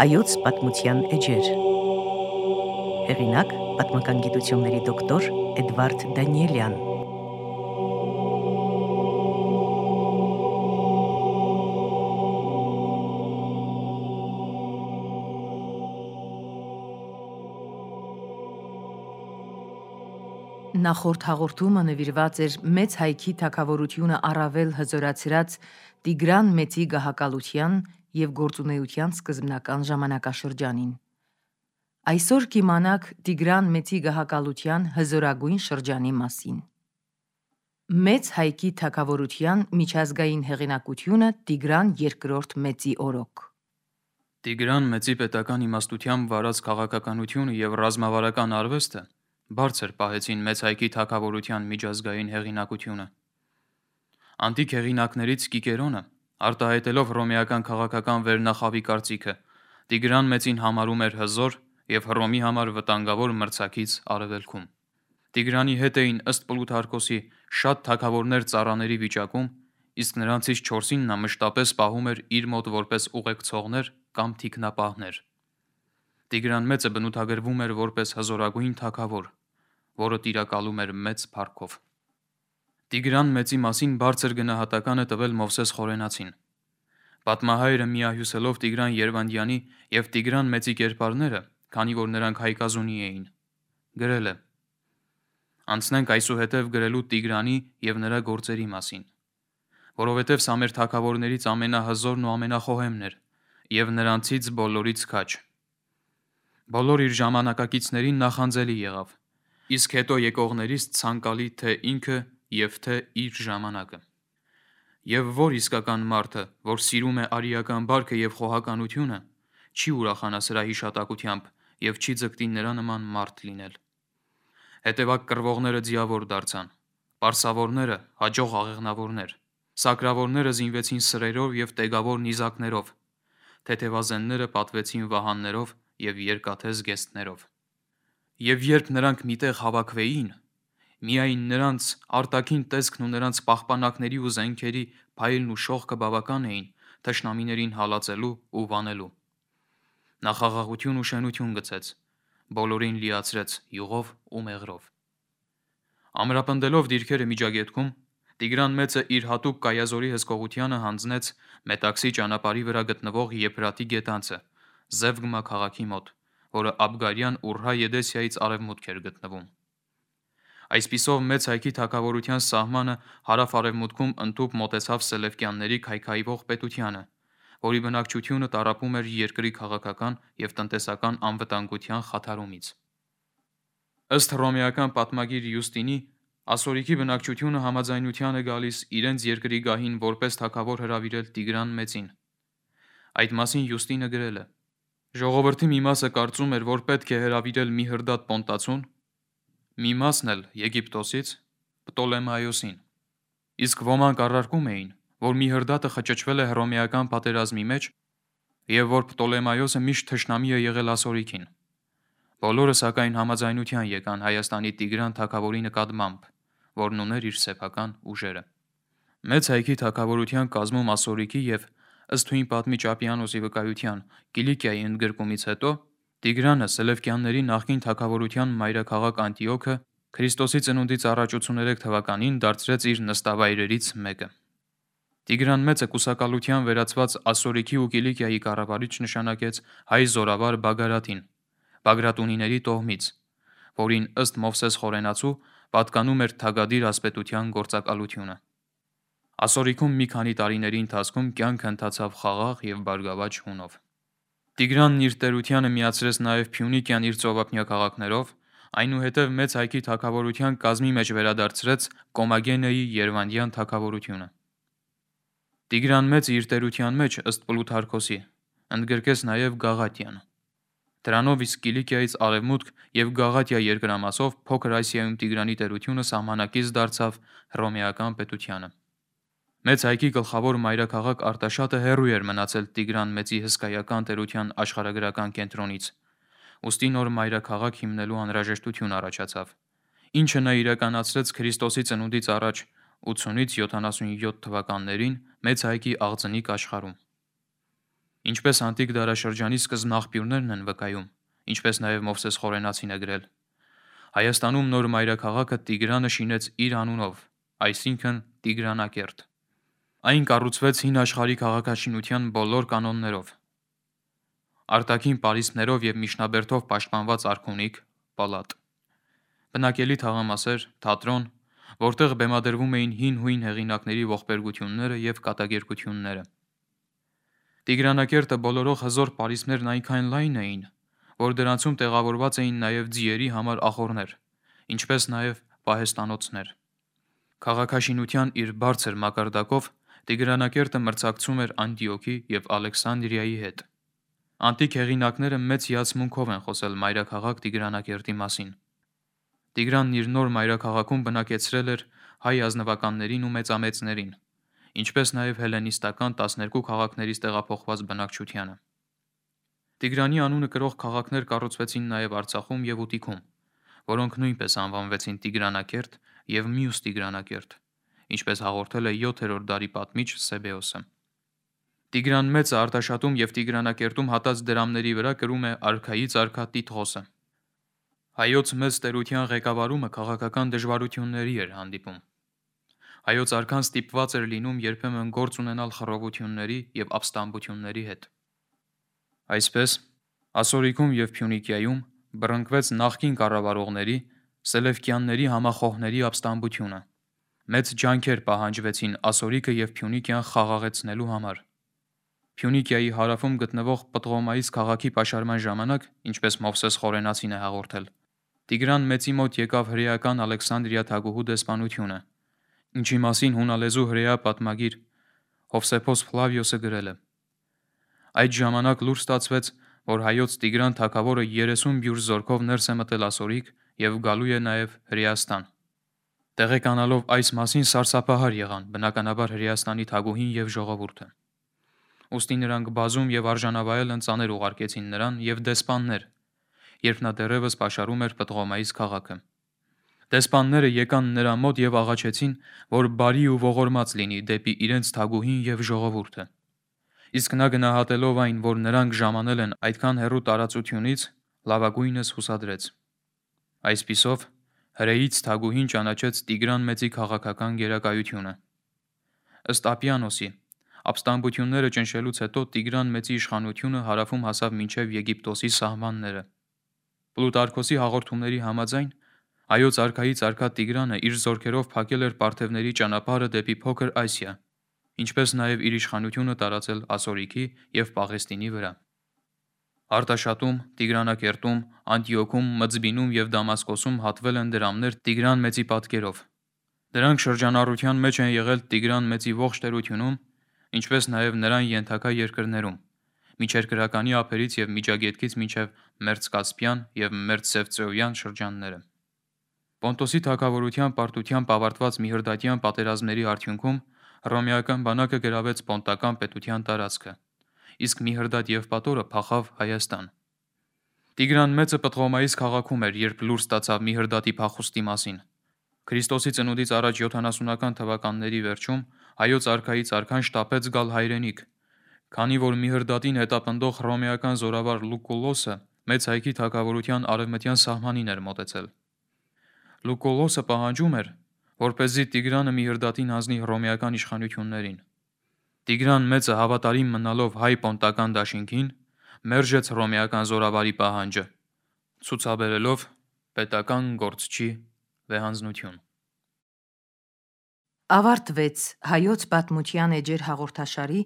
Հայոց պատմության էջեր։ Հեղինակ պատմական գիտությունների դոկտոր Էդվարդ Դանիելյան։ Նախորդ հաղորդումը նվիրված էր մեծ հայքի թագավորությունը առավել հզորացրած Տիգրան Մեծի գահակալության և գործունեության սկզբնական ժամանակաշրջանին։ Այսօր կիմանաք Տիգրան Մեծի գահակալության հզորագույն շրջանի մասին։ Մեծ հայքի թագավորության միջազգային հեղինակությունը Տիգրան II Մեծի օրոք։ Տիգրան Մեծի պետական իմաստությամբ վարած քաղաքականությունը և ռազմավարական արվեստը բարձր պահեցին մեծ հայքի թագավորության միջազգային հեղինակությունը։ Անտիկ հեղինակներից Կիկերոնը, արտահայտելով հռոմեական քաղաքական վերնախավի կարծիքը, Տիգրան Մեծին համարում էր հզոր և Հռոմի համար վտանգավոր մրցակից արևելքում։ Տիգրանի հետ էին ըստ Պլութարքոսի շատ թագավորներ ծառաների վիճակում, իսկ նրանցից 4-ին նա մշտապես պահում էր իր մոտ որպես ուղեկցողներ կամ թիկնապահներ։ Տիգրան Մեծը բնութագրվում էր որպես հզորագույն թագավոր, որը տիրակալում էր մեծ փառքով։ Տիգրան Մեծի մասին բարձր գնահատական է տվել Մովսես Խորենացին։ Պատմահայրը միահյուսելով Տիգրան Երվանդյանի և Տիգրան Մեծի կերպարները, քանի որ նրանք հայկազունի էին, գրել է. «Անցնենք այսուհետև գրելու Տիգրանի և նրա գործերի մասին, որովհետև սա մեր թագավորներից ամենահզորն ու ամենախոհեմն էր, և նրանցից բոլորից քաջ։ Բոլոր իր ժամանակակիցներին նախանձելի եղավ, իսկ հետո եկողներից ցանկալի թե ինքը և թե իր ժամանակը։ Եվ որ իսկական մարդը, որ սիրում է արիական բարքը և խոհականությունը, չի ուրախանա սրա հիշատակությամբ և չի ձգտի նրա նման մարդ լինել։ Հետևակ կռվողները ձիավոր դարձան, պարսավորները հաջող աղեղնավորներ, սակրավորները զինվեցին սրերով և տեգավոր նիզակներով, թեթևազենները պատվեցին վահաններով և երկաթե զգեստներով։ Եվ երբ նրանք միտեղ հավաքվեին, միայն նրանց արտաքին տեսքն ու նրանց պահպանակների ու զենքերի փայլն ու շողքը բավական էին թշնամիներին հալածելու ու վանելու։ Նա խաղաղություն ու շենություն գցեց, բոլորին լիացրեց յուղով ու մեղրով։ Ամրապնդելով դիրքերը Միջագետքում, Տիգրան Մեծը իր հատուկ կայազորի հսկողությանը հանձնեց Մետաքսի ճանապարհի վրա գտնվող Եփրատի գետանցը, Զևգմա քաղաքի մոտ, որը Աբգարյան Ուրհա Եդեսիայից արևմուտք էր գտնվում։ Այսպիսով մեծ հայքի թագավորության սահմանը հարավ-արևմուտքում ընդհուպ մոտեցավ Սելևկյանների քայքայվող պետությանը, որի բնակչությունը տառապում էր երկրի քաղաքական և տնտեսական անվտանգության խաթարումից։ Ըստ հռոմեական պատմագիր Յուստինի, ասորիքի բնակչությունը համաձայնության է գալիս իրենց երկրի գահին որպես թագավոր հրավիրել Տիգրան Մեծին։ Այդ մասին Յուստինը գրել է. «Ժողովրդի մի մասը կարծում էր, որ պետք է հրավիրել Միհրդատ Պոնտացուն, մի մասն էլ Եգիպտոսից Պտոլեմայոսին, իսկ ոմանք առարկում էին, որ Միհրդատը խճճվել է հռոմեական պատերազմի մեջ և որ Պտոլեմայոսը միշտ թշնամի է եղել ասորիքին։ Բոլորը սակայն համաձայնության եկան Հայաստանի Տիգրան թագավորի նկատմամբ, որն ուներ իր սեփական ուժերը»։ Մեծ հայքի թագավորության կազմում ասորիքի և, ըստ հույն պատմիչ Ապիանոսի վկայության, Կիլիկիայի ընդգրկումից հետո Տիգրանը Սելևկյանների նախկին թագավորության մայրաքաղաք Անտիոքը Քրիստոսի ծնունդից առաջ 83 թվականին դարձրեց իր նստավայրերից մեկը։ Տիգրան Մեծը կուսակալության վերածված ասորիքի ու Կիլիկիայի կառավարիչ նշանակեց հայ զորավար Բագարատին, Բագրատունիների տոհմից, որին ըստ Մովսես Խորենացու պատկանում էր թագադիր ասպետության գործակալությունը։ Ասորիքում մի քանի տարիների ընթացքում կյանքը ընթացավ խաղաղ և բարգավաճ հունով։ Տիգրանն իր տերությանը միացրեց նաև Փյունիկիան իր ծովափնյա քաղաքներով, այնուհետև մեծ հայքի թագավորության կազմի մեջ վերադարձրեց Կոմագենեի Երվանդյան թագավորությունը։ Տիգրան Մեծը իր տերության մեջ, ըստ Պլութարքոսի, ընդգրկեց նաև Գաղատիան։ Դրանով իսկ Կիլիկիայից արևմուտք և Գաղատիա երկրամասով Փոքր Ասիայում Տիգրանի տերությունը սահմանակից դարձավ հռոմեական պետությանը։ Մեծ հայքի գլխավոր մայրաքաղաք Արտաշատը հեռու էր մնացել Տիգրան Մեծի հսկայական տերության աշխարհագրական կենտրոնից, ուստի նոր մայրաքաղաք հիմնելու անհրաժեշտություն առաջացավ, ինչը նա իրականացրեց Քրիստոսի ծնունդից առաջ 80-ից 77 թվականներին մեծ հայքի աղձնիկ աշխարհում։ Ինչպես անտիկ դարաշրջանի սկզբնաղբյուրներն են վկայում, ինչպես նաև Մովսես Խորենացին է գրել, Հայաստանում նոր մայրաքաղաքը Տիգրանը շինեց իր անունով, այսինքն Տիգրանակերտ։ Այն կառուցվեց հին աշխարհի քաղաքաշինության բոլոր կանոններով։ Արտաքին պարիսպներով և միջնաբերդով պաշտպանված արքունիք, պալատ, բնակելի թաղամասեր, թատրոն, որտեղ բեմադրվում էին հին-հույն հեղինակների ողբերգությունները և կատակերգությունները։ Տիգրանակերտը բոլորող հզոր պարիսպներն այնքան լայն էին, որ դրանցում տեղավորված էին նաև ձիերի համար ախոռներ, ինչպես նաև պահեստանոցներ։ Քաղաքաշինության իր բարձր մակարդակով Տիգրանակերտը մրցակցում էր Անդիոքի և Ալեքսանդրիայի հետ։ Անտիկ հեղինակները մեծ հիացմունքով են խոսել մայրաքաղաք Տիգրանակերտի մասին։ Տիգրանն իր նոր մայրաքաղաքում բնակեցրել էր հայ ազնվականներին ու մեծամեծներին, ինչպես նաև հելլենիստական 12 քաղաքներից տեղափոխված բնակչությանը։ Տիգրանի անունը կրող քաղաքներ կառուցվեցին նաև Արցախում և Ուտիքում, որոնք նույնպես անվանվեցին Տիգրանակերտ և մյուս Տիգրանակերտ, ինչպես հաղորդել է 7-րդ դարի պատմիչ Սեբեոսը։ Տիգրան Մեծը Արտաշատում և Տիգրանակերտում հատած դրամների վրա կրում է արքայից արքա Տիտղոսը։ Հայոց մեծ տերության ղեկավարումը քաղաքական դժվարությունների էր հանդիպում։ Հայոց արքան ստիպված էր լինում երբեմն գործ ունենալ խռովությունների և ապստամբությունների հետ։ Այսպես, Ասորիքում և Փյունիկիայում բռնկվեց նախկին կառավարողների, Սելևկյանների համախոհների ապստամբությունը։ Մեծ ջանքեր պահանջվեցին Ասորիկը և Փյունիկիան խաղաղեցնելու համար։ Փյունիկիայի հարավում գտնվող Պտղոմայիս քաղաքի պաշարման ժամանակ, ինչպես Մովսես Խորենացին է հաղորդել, Տիգրան Մեծի մոտ եկավ հրեական Ալեքսանդրիա թագուհու դեսպանությունը, ինչի մասին հունալեզու հրեա պատմագիր Հովսեփոս Ֆլավիոսը գրել է. այդ ժամանակ լուր ստացվեց, որ հայոց Տիգրան թագավորը 30 բյուր զորքով ներս է մտել Ասորիկ և գալու է նաև Հրեաստան։ Տեղեկանալով այս մասին սարսափահար եղան բնականաբար Հրեաստանի թագուհին և ժողովուրդը։ Ուստի նրանք բազում և արժանավայել ընծաներ ուղարկեցին նրան և դեսպաններ, երբ նա դեռևս պաշարում էր Պտղոմայիս քաղաքը։ Դեսպանները եկան նրա մոտ և աղաչեցին, որ բարի ու ողորմած լինի դեպի իրենց թագուհին և ժողովուրդը։ Իսկ նա գնահատելով այն, որ նրանք ժամանել են այդքան հեռու տարածությունից, լավագույնս հուսադրեց։ Այսպիսով, հրեից թագուհին ճանաչեց Տիգրան Մեծի քաղաքական գերակայությունը։ Ըստ Ապիանոսի, ապստամբությունները ճնշելուց հետո Տիգրան Մեծի իշխանությունը հարավում հասավ մինչև Եգիպտոսի սահմանները։ Պլուտարքոսի հաղորդումների համաձայն, հայոց արքայից արքա Տիգրանը իր զորքերով փակել էր պարթևների ճանապարհը դեպի Փոքր Ասիա, ինչպես նաև իր իշխանությունը տարածել Ասորիքի և Պաղեստինի վրա։ Արտաշատում, Տիգրանակերտում, Անդիոքում, Մզբինում և Դամասկոսում հատվել են դրամներ Տիգրան Մեծի պատկերով։ Դրանք շրջանառության մեջ են եղել Տիգրան Մեծի ողջ տերությունում, ինչպես նաև նրան ենթակա երկրներում, միջերկրականի ափերից և Միջագետքից մինչև Մերձկասպյան և Մերձսևծեոյան շրջանները։ Պոնտոսի թագավորության պարտությամբ ավարտված Միհրդատյան պատերազմների արդյունքում հռոմեական բանակը գրավեց պոնտական պետության տարածքը, իսկ Միհրդատ Եվպատորը փախավ Հայաստան։ Տիգրան Մեծը Պտղոմայիս քաղաքում էր, երբ լուր ստացավ Միհրդատի փախուստի մասին։ Քրիստոսի ծնունդից առաջ 70-ական թվականների վերջում հայոց արքայից արքան շտապեց գալ հայրենիք, քանի որ Միհրդատին հետապնդող հռոմեական զորավար Լուկուլոսը մեծ հայքի թագավորության արևմտյան սահմանին էր մոտեցել։ Լուկուլոսը պահանջում էր, որպեսզի Տիգրանը Միհրդատին հանձնի հռոմեական իշխանություններին։ Տիգրան Մեծը հավատարիմ մնալով հայ-պոնտական դաշինքին, մերժեց հռոմեական զորավարի պահանջը, ցուցաբերելով պետական գործչի վեհանձնություն։ Ավարտվեց Հայոց պատմության էջեր հաղորդաշարի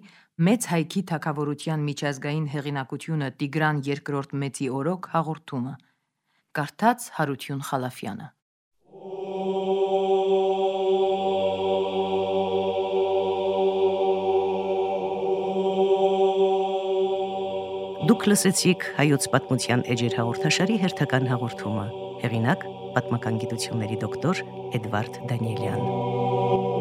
Մեծ հայքի թագավորության միջազգային հեղինակությունը Տիգրան II Մեծի օրոք հաղորդումը։ Կարդաց Հարություն Խալաֆյանը։ Դուք լսեցիք Հայոց պատմության էջեր հաղորդաշարի հերթական հաղորդումը։ Հեղինակ՝ պատմական գիտությունների դոկտոր Էդվարդ Դանիելյան։